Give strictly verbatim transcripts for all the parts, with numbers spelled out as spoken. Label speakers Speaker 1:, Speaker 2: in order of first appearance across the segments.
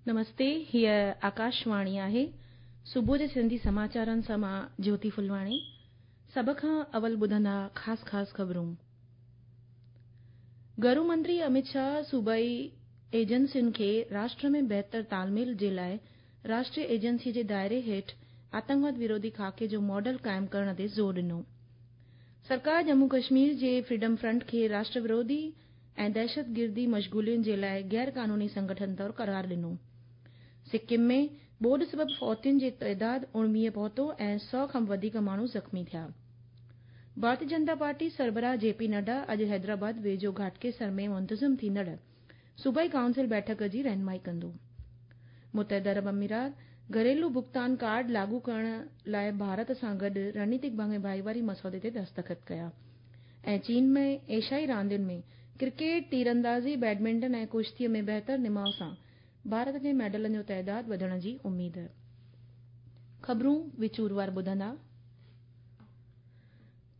Speaker 1: नमस्ते, हीअ आकाशवाणी आहे। सुबुह जे सिंधी समाचारनि सां मां ज्योति फुलवाणी। सभ खां अवल ॿुधंदा ख़ासि ख़ासि ख़बरूं। घरू मंत्री अमित शाह सूबाई एजेंसियुनि खे राष्ट्र में बहितर तालमेल जे लाइ राष्ट्रीय एजेंसी जे दायरे हेठि आतंकवाद विरोधी खाके जो मॉडल क़ाइमु करण ते ज़ोर ॾिनो। सरकार जम्मू कश्मीर जे फ्रीडम फ्रंट खे राष्ट्र विरोधी ऐं दहशतगिर्दी मशगूलियुनि जे लाइ गैर कानूनी संगठन तौर करार ॾिनो। सिक्किम में ॿोॾ सबबि फौतियुनि जो ताइदाद उणिवीह पहुतो ऐं सौ खां वधीक माण्हू ज़ख़्मी थिया। भारतीय जनता पार्टी सरबराह जेपी नड्डा अॼु हैदराबाद वेझो घाटकेसर में मुंतज़िम थींदड़ सूबाई काउंसिल बैठक जी रहनुमाई कंदो। मुतहदा अरब अमीरात घरेलू भुगतान कार्ड लागू करण लाइ भारत सां गॾु रणनीतिक भाईवारी मसौदे ते दस्तख़त कया। ऐं चीन में एशियाई रांदियुनि में क्रिकेट, तीरंदाज़ी, बैडमिंटन ऐं कुश्तीअ में बहितर निमाव सां भारत जे मेडलनि जो ताइदाद वधण जी उमेद। ख़बरूं विचूरवार ॿुधंदा।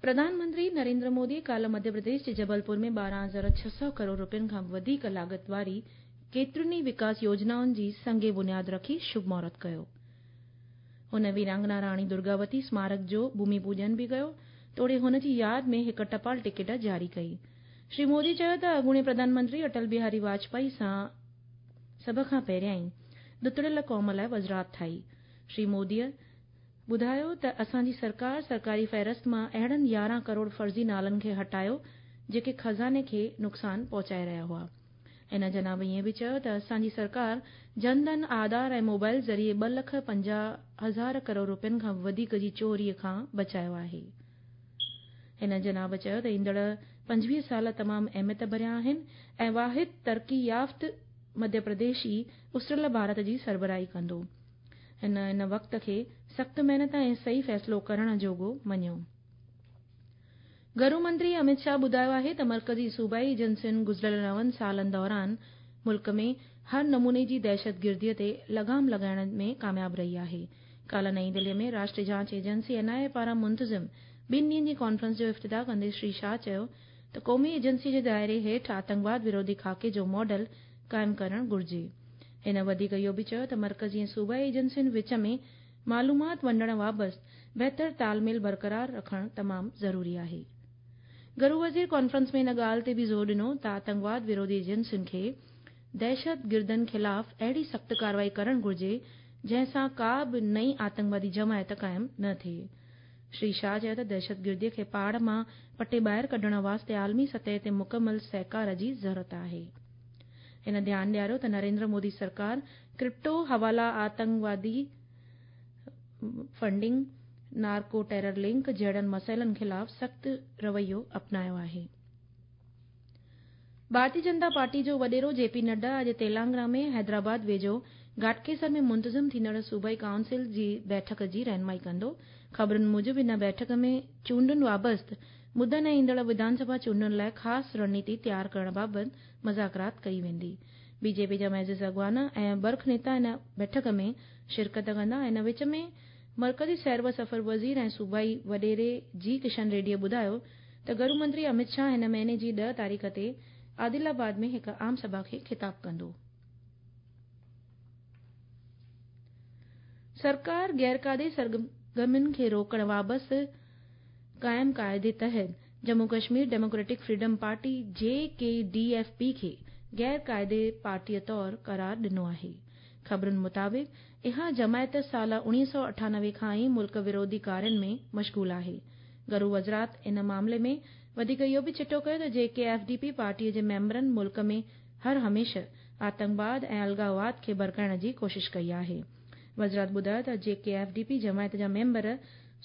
Speaker 1: प्रधानमंत्री नरेंद्र मोदी काल्ह मध्य प्रदेश जे जबलपुर में ॿारहं हज़ार छह सौ करोड़ रुपयनि खां वधीक लागत वारी केतिरियुनि ई विकास योजनाउनि जी संग बुनियाद रखी शुभ मुहूर्त कयो। हुन वीरांगना राणी दुर्गावती स्मारक जो भूमि पूजन बि कयो, तोड़े हुन जी यादि में हिकु टपाल टिकिट जारी कई। श्री मोदी चयो त अॻूणे प्रधानमंत्री अटल बिहारी वाजपेयी सां सभ खां पहिरियां ॾुतड़ियल क़ौम लाइ वज़ारत ठाही। श्री मोदीअ ॿुधायो त असांजी सरकार सरकारी फ़हरिस्त मां अहिड़नि यारहं करोड़ फ़र्ज़ी नालनि खे हटायो जेके ख़ज़ाने खे नुक़सानु पहुचाए रहिया हुआ। हिन जनाब ईअं बि चयो त असांजी सरकार जनधन, आधार ऐं मोबाइल ज़रिए ॿ लख पंजाह हज़ार करोड़ रुपयनि खां वधीक जी चोरीअ खां बचायो आहे। हिन जनाब चयो त ईंदड़ पंजवीह साल तमामु अहमियत भरिया आहिनि ऐं वाहिद तरक़ी याफ़्त मध्य प्रदेश ई उसरियल भारत जी सरबराही कंदो। हिन इन वक़्त खे सख़्तु महिनत ऐं सही फ़ैसिलो करण जोॻो मञियो। घरू मंत्री अमित शाह ॿुधायो आहे त मर्कज़ी सूबाई एजेंसियुनि गुज़िरियल नवनि सालनि दौरान मुल्क में हर नमूने जी दहशतगिर्दीअ ते लगाम लॻाइण में कामयाब रही आहे। काल्ह नई दिल्लीअ में राष्ट्रीय जांच एजेंसी एन I ए पारां मुंतज़िम ॿिनि ॾींहंनि जी कॉन्फ्रेंस जो इफ्तिताह कंदे श्री शाह चयो त क़ौमी एजेंसी जे दायरे हेठि आतंकवाद विरोधी खाके जो मॉडल क़ाइमु करणु घुर्जे। हिन वधीक इहो बि चयो त मर्कज़ी ऐं सूबाई एजेंसियुनि विच में मालूमात वंडण वाबस्ते बहितर तालमेल बरक़रार रखणु तमामु ज़रूरी आहे। घरू वज़ीर कॉन्फ्रेंस में इन ॻाल्हि ते बि ज़ोर ॾिनो त आतंकवाद विरोधी एजेंसियुनि खे दहशतगिर्दनि ख़िलाफ़ अहिड़ी सख़्तु कार्रवाई करणु घुर्जे जंहिं सां का बि नई आतंकवादी जमायत क़ाइमु न थिए। श्री शाह चयो त दहशतगिर्दीअ खे पाड़ मां पटे ॿाहिरि कढण वास्ते आलमी सतह ते मुकमल सहकार जी ज़रूरत आहे। हिन ध्यानु ॾियारियो त नरेंद्र मोदी सरकार क्रिप्टो हवाला, आतंकवादी फंडिंग, नार्को टेरर लिंक जहिड़नि मसइलनि ख़िलाफ़ सख़्तु रवैयो अपनायो आहे। भारतीय जनता पार्टी जो वॾेरो जेपी नड्डा अॼु तेलंगाना में हैदराबाद वेझो घाटकेसर में मुंतज़िम थींदड़ सूबाई काउंसिल जी बैठक जी रहनुमाई कंदो। ख़बरुनि मूजिबि इन बैठक में चूंडुनि वाबस्ते मुदनि ऐं ईंदड़ विधानसभा चूंडुनि लाइ ख़ासि रणनीति तयारु करण बाबति मुज़ाकरात कई वेंदी। बीजेपी जा मुअज़्ज़िज़ अॻवान ऐं बर्ख नेता इन बैठक में शिरकत कंदा। इन विच में मर्कज़ी सैर व सफ़र वज़ीर ऐं सूबाई वॾेरे जी किशन रेड्डीअ ॿुधायो त घरू मंत्री अमित शाह हिन महीने जी ॾह तारीख़ ते आदिलाबाद में हिकु आम सभा खे ख़िताब कंदो। सरकार गैर कायदे सरगर्मियुनि खे रोकण वाबस्ते क़ाइम काइदे तहत Jammu Kashmir democratic freedom party J K D F P खे गैर कायदे पार्टीअ तौर करार ॾिनो आहे। ख़बरुनि मुताबिक़ इहा जमायत साल उणिवीह सौ अठानवे खां ई मुल्क विरोधी कार्यनि में मशगूल आहे। घरू वज़ारत इन मामले में वधीक इहो बि चिटो कयो त जे के एफ डी पी पार्टीअ जे मेंबरनि मुल्क में हर हमेशह आतंकवाद ऐं अलगाववाद खे भड़काइण जी कोशिश कई आहे। वज़ारत ॿुधायो त जे के एफ डी पी जमायत जा मेंबर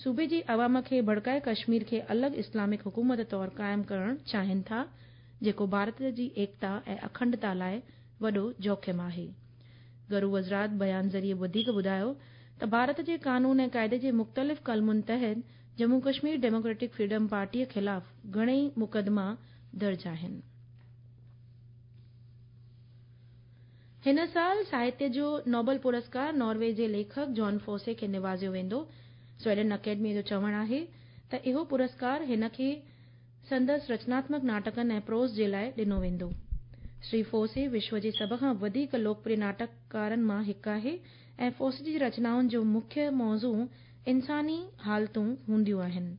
Speaker 1: सूबे जी अवाम खे भड़काए कश्मीर खे अलॻि इस्लामिक हुकूमत तौर क़ाइमु करणु चाहिनि था, जेको भारत जी एकता ऐं अखंडता लाइ वॾो जोखिम आहे। घरू वज़ारत बयान ज़रिए वधीक ॿुधायो त भारत जे कानून ऐं काइदे जे मुख़्तलिफ़ कलमुनि तहत जम्मू कश्मीर डेमोक्रेटिक फ्रीडम पार्टीअ ख़िलाफ़ घणेई मुक़दमा दर्ज आहिनि। हिन साल साहित्य जो नोबल पुरस्कार नॉर्वे जे लेखक जॉन फोसे खे निवाज़ियो वेंदो। स्वीडन अकेडमी जो चवणु आहे त इहो पुरस्कार हिन खे संदसि रचनात्मक नाटकनि ऐं प्रोज़ जे लाइ ॾिनो वेंदो। श्री फोसे विश्व जे सभ खां वधीक लोकप्रिय नाटककारनि मां हिकु आहे ऐं फोसे जी रचनाउनि जो मुख्य मौज़ू इंसानी हालतूं हूंदियूं आहिनि।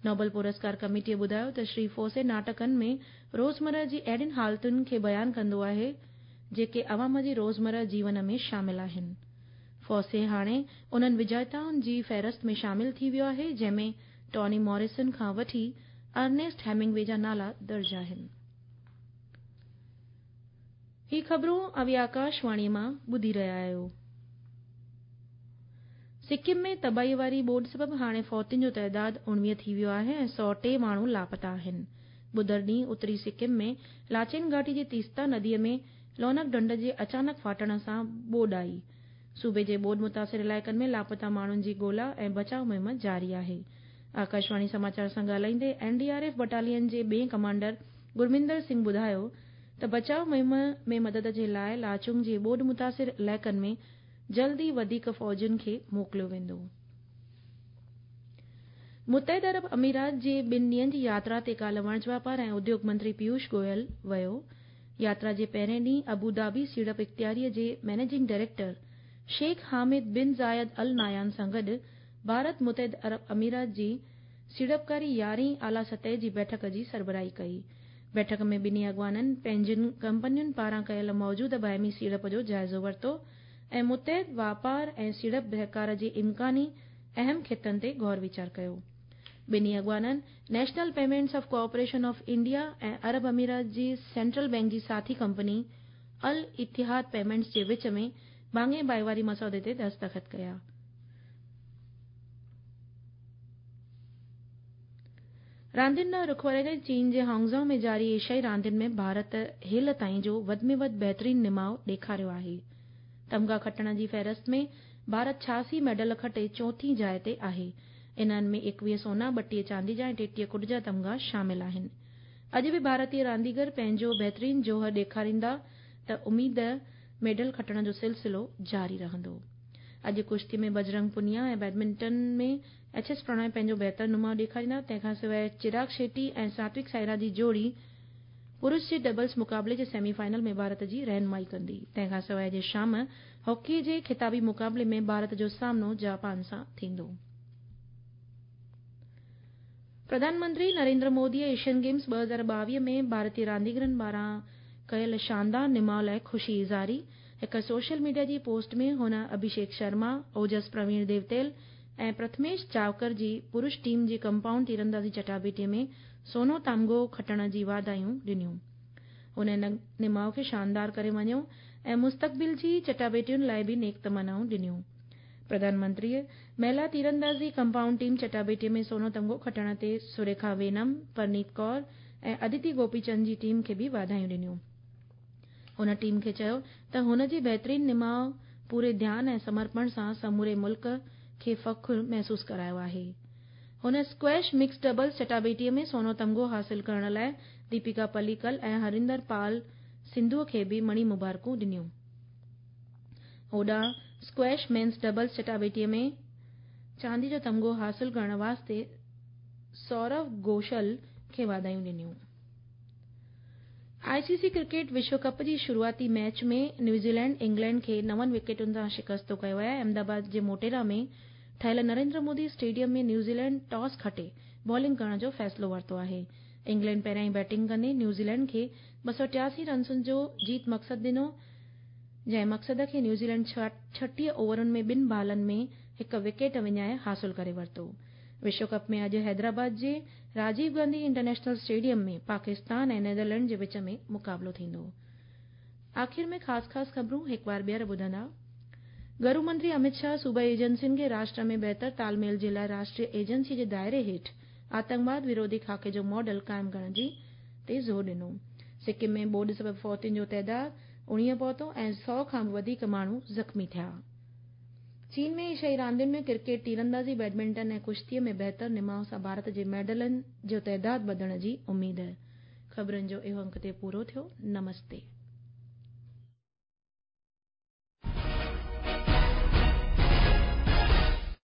Speaker 1: नोबल पुरस्कार कमेटीअ ॿुधायो त श्री फोसे नाटकनि में रोज़मर्रा जी अहिड़ियुनि हालतुनि खे बयानु कंदो आहे जेके अवाम जे रोज़मर्रा जीवन में शामिल आहिनि। फोसे हाणे उन्हनि विजेताउनि जी फ़हरिस्त में शामिल थी वियो आहे जंहिंमें टॉनी मॉरिसन खां वठी अर्नेस्ट हेमिंगवे जा नाला दर्ज आहिनि। ही ख़बरूं अवी आकाशवाणी मां ॿुधी रहिया आहियो। सिक्किम में तबाही वारी ॿोॾ सबबि हाणे फौतियुनि जो तादाद उणिवीह थी वियो आहे ऐं सौ टे माण्हू लापता आहिनि। ॿुधर ॾींहुं उत्तरी सिक्किम में लाचेन घाटी जी तीस्ता नदीअ में लोनक ढंढ जे अचानक फाटण सां ॿोॾ आई। सूबे जे ॿोॾ मुतासिर इलाइक़नि में लापता माण्हुनि जी ॻोल्हा ऐं बचाव मुहिम जारी आहे। आकाशवाणी समाचार सां ॻाल्हाईंदे एनडीआरएफ बटालियन जे ॿिए कमांडर गुरमिंदर सिंह ॿुधायो त बचाव मुहिम में मदद जे लाइ लाचुंग जे ॿोॾ मुतासिर इलाइक़नि में जल्द ई वधीक फ़ौजुनि खे मोकिलियो वेंदो। मुतहिद अरब अमीरात जे ॿिनि ॾींहंनि जी यात्रा ते काल्ह वणज वापार ऐं उद्योग मंत्री पीयूष गोयल वियो। यात्रा जे पहिरें ॾींहुं अबू धाबी सीड़प इख़्तियारीअ जे managing director Sheikh Hamid bin Zayed Al Nahyan सां गॾु भारत मुतहिद अरब अमीरात जी सीड़पकारी यारहीं आला सतह जी बैठक जी सरबराही कई। बैठक में ॿिन्ही अॻवाननि पंहिंजनि कंपनियुनि पारां कयल मौजूदा बाहिमी सीड़प जो जाइज़ो वरितो ऐं मुतहिद वापार ऐं सीड़प सहकार जे इम्कानी अहम ख़ितनि ते गौर वीचार कयो। ॿिन्ही अॻवाननि National Payments of Corporation of India ऐं अरब अमीरात जी सेंट्रल बैंक जी साथी कंपनी अल इतिहाद पेमेंट्स जे विच में भाङे भाईवारी मसौदे ते दस्तख़त कया। रांदियुनि ॾांहुं रुख वराईंदे चीन जे हांगझो में जारी एशियाई रांदियुनि में भारत हेल ताईं जो वधि में वधि बहितरीन निमाव ॾेखारियो आहे। तमगा खटण जी फ़हरिस्त में भारत छियासी मेडल खटे चोथीं जाइ ते आहे। इन्हनि में एकवीह सोना, ॿटीह चांदी जा ऐं टेटीह कुड जा तमगा शामिल आहिनि। अॼु बि भारतीय रांदीगर पंहिंजो बहितरीन जोहर ॾेखारींदा त उमेद मेडल खटण जो सिलसिलो जारी रहंदो। अॼु कुश्ती में बजरंग पुनिया ऐं बैडमिंटन में एच एस प्रणय पंहिंजो बहितर नुमाउ ॾेखारींदा। तंहिंखां सवाइ चिराग शेट्टी ऐं सात्विक साइराज जी जोड़ी पुरुष जे डबल्स मुक़ाबले जे सेमीफाइनल में भारत जी रहनुमाई कंदी। तंहिंखां सवाइ अॼु शाम हॉकी जे ख़िताबी मुक़ाबले में भारत जो सामनो जापान सां थींदो। प्रधानमंत्री नरेंद्र मोदीअ एशियन गेम्स ॿ हज़ार ॿावीह में भारतीय रांदीगरनि पारां कयल शानदार निमाव लाइ ख़ुशी इज़ारी। हिकु सोशल मीडिया जी पोस्ट में हुन अभिषेक शर्मा, ओजस प्रवीण देवतेल ऐं प्रथमेश चावकर जी पुरुष टीम जी कंपाउंड तीरंदाज़ी चटाबेटीअ में सोनो तामगो खटण जी वाधायूं ॾिनियूं। हुन इन निमाव खे शानदार करे मञियो ऐं मुस्तक़बिल जी चटाबेटियुनि लाइ बि नेक तमनाऊं ॾिनियूं। प्रधानमंत्रीअ महिला तीरंदाज़ी कंपाउंड टीम चटाबेटीअ में सोनो तमगो खटण ते सुरेखा वेनम, परनीत कौर ऐं अदिति गोपीचंद जी टीम खे बि वाधायूं ॾिनियूं। हुन टीम खे चयो त हुन जे बहितरीन निमाव पूरे ध्यान ऐं समर्पण सां समूरे मुल्क खे फ़ख्र महसूस करायो आहे। हुन स्क्वैश मिक्स डबल्स चटाबेटीअ में सोनो तमगो हासिल करण लाइ दीपिका पल्लीकल ऐं हरिंदर पाल सिंधूअ खे बि मणी मुबारकूं ॾिनियूं। होॾां स्क्वैश मेन्स डबल्स चटाबेटीअ में चांदी जो तमगो हासिल करण वास्ते सौरव घोषल खे वाधायूं ॾिनियूं। आईसीसी क्रिकेट विश्व कप जी शुरूआती मैच में न्यूज़ीलैंड इंग्लैंड खे नवनि विकेटुनि सां शिकस्त कयो आहे। अहमदाबाद जे मोटेरा में ठहियल नरेंद्र मोदी स्टेडियम में न्यूज़ीलैंड टॉस खटे बॉलिंग करण जो फ़ैसिलो वरितो आहे। इंग्लैंड पहिरियां बैटिंग कंदे न्यूज़ीलैंड खे ॿ सौ टियासी रनसुनि जो जीत मक़सदु ॾिनो, जंहिं मक़सद खे न्यूज़ीलैंड छटीह ओवरनि में ॿिनि बालनि में हिकु विकेट विञाए हासिल करे वरितो। विश्व कप में अॼु हैदराबाद जे राजीव गांधी इंटरनेशनल स्टेडियम में पाकिस्तान ऐं नीदरलैंड जे विच में मुक़ाबिलो थींदो। आख़िर में ख़ासि ख़ासि ख़बरूं हिकु बार ॿीहर ॿुधंदा। गृह मंत्री अमित शाह सूबाई एजेंसियुनि खे राष्ट्र में बहितर तालमेल जे लाइ राष्ट्रीय एजेंसी जे दायरे हेठि आतंकवाद विरोधी खाके जो मॉडल क़ाइमु करण जी ते ज़ोर ॾिनो। सिक्किम में ॿोॾ सबबि फौतियुनि जो तादाद उणिवीह पहुतो ऐं सौ खां बि वधीक माण्हू ज़ख़्मी थिया। चीन में एशियाई रांदियुनि में क्रिकेट, तीरंदाज़ी, बैडमिंटन ऐं कुश्तीअ में बहितर निमाव सां भारत जे मेडलनि जो तादाद वधण जी उमेद। ख़बरुनि जो इहो अंक ते पूरो थियो। नमस्ते।